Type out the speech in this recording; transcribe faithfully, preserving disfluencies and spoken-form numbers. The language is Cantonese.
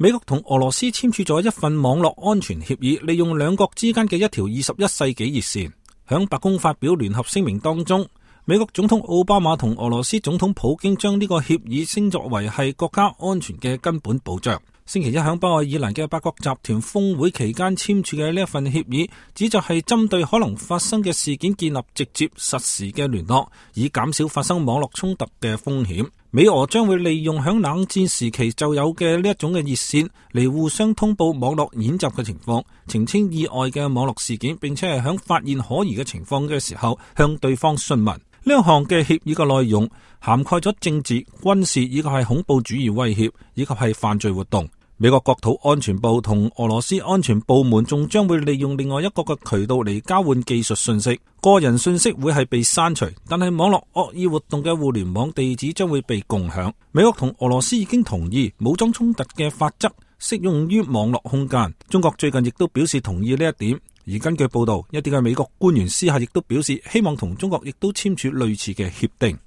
美國同俄羅斯簽署咗一份網絡安全協議，利用兩國之間嘅一條二十一世紀熱線。響白宮發表聯合聲明當中，美國總統奧巴馬同俄羅斯總統普京將呢個協議稱作為係國家安全嘅根本保障。星期一響北愛爾蘭嘅八國集團峰會期間簽署嘅呢一份協議，旨在係針對可能發生嘅事件建立直接實時嘅聯絡，以減少發生網絡衝突嘅風險。美俄將會利用響冷戰時期就有嘅呢一種嘅熱線嚟互相通報網絡演習嘅情況，澄清意外嘅網絡事件，並且係響發現可疑嘅情況嘅時候向對方詢問。呢一項嘅協議嘅內容涵蓋咗政治、軍事以及係恐怖主義威脅以及係犯罪活動。美國國土安全部同俄羅斯安全部門仲將會利用另外一個嘅渠道嚟交換技術信息，個人信息會係被刪除，但係網絡惡意活動嘅互聯網地址將會被共享。美國同俄羅斯已經同意武裝衝突嘅法則適用於網絡空間，中國最近亦都表示同意呢一點。而根據報道，一啲嘅美國官員私下亦都表示希望同中國亦都簽署類似嘅協定。